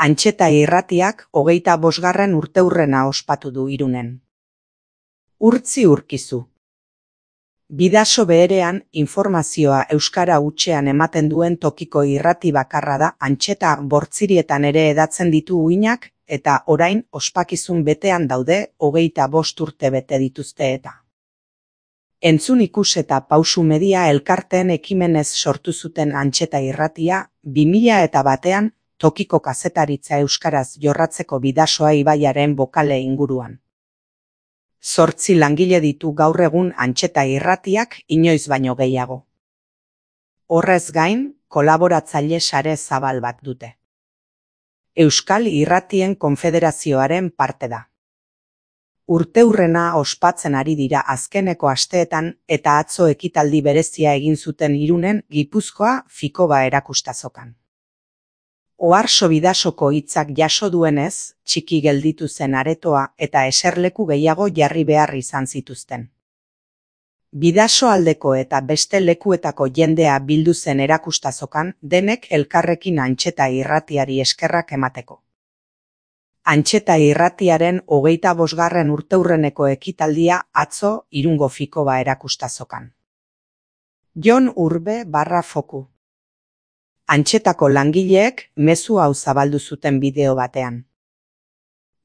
Antxeta irratiak 25. urteurrena ospatu du Irunen. Urtzi urkizu. Bidaso beherean informazioa euskara hutsean ematen duen tokiko irrati bakarra da Antxeta bortzirietan ere edatzen ditu uinak eta orain ospakizun betean daude 25 urte bete dituzte eta. Entzun ikus eta pausu media elkarteen ekimenez sortu zuten Antxeta irratia 2001 tokiko kazetaritza euskaraz jorratzeko Bidasoa ibaiaren bokale inguruan. 8 langile ditu gaur egun Antxeta irratiak inoiz baino gehiago. Horrez gain, kolaboratzaile sare zabal bat dute. Euskal Irratien Konfederazioaren parte da. Urteurrena ospatzen ari dira azkeneko asteetan eta atzo ekitaldi berezia egin zuten Irunen Gipuzkoa Fikoba erakustazokan. Oharso Bidasoko hitzak jaso duenez, txiki gelditu zen aretoa eta eserleku gehiago jarri behar izan zituzten. Bidaso aldeko eta beste lekuetako jendea bildu zen erakustazokan denek elkarrekin Antxeta irratiari eskerrak emateko. Antxeta irratiaren 25. urteurreneko ekitaldia atzo Irungo Fikoba erakustazokan. Jon Urbe /Foku. Antxetako langileek mezu hau zabaldu zuten bideo batean.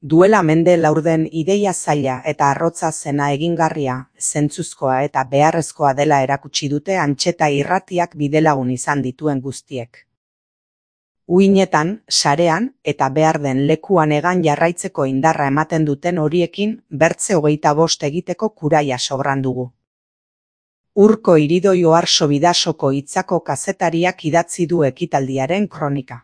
Duela mende laurden ideia zaila eta arrotza zena egingarria, zentzuzkoa eta beharrezkoa dela erakutsi dute Antxeta irratiak bidelagun izan dituen guztiek. Uinetan, sarean eta behar den lekuan egan jarraitzeko indarra ematen duten horiekin bertze 25 egiteko kuraia sobran dugu. Urko Iridoi Oharso Bidasoko hitzako kazetariak idatzi du ekitaldiaren kronika.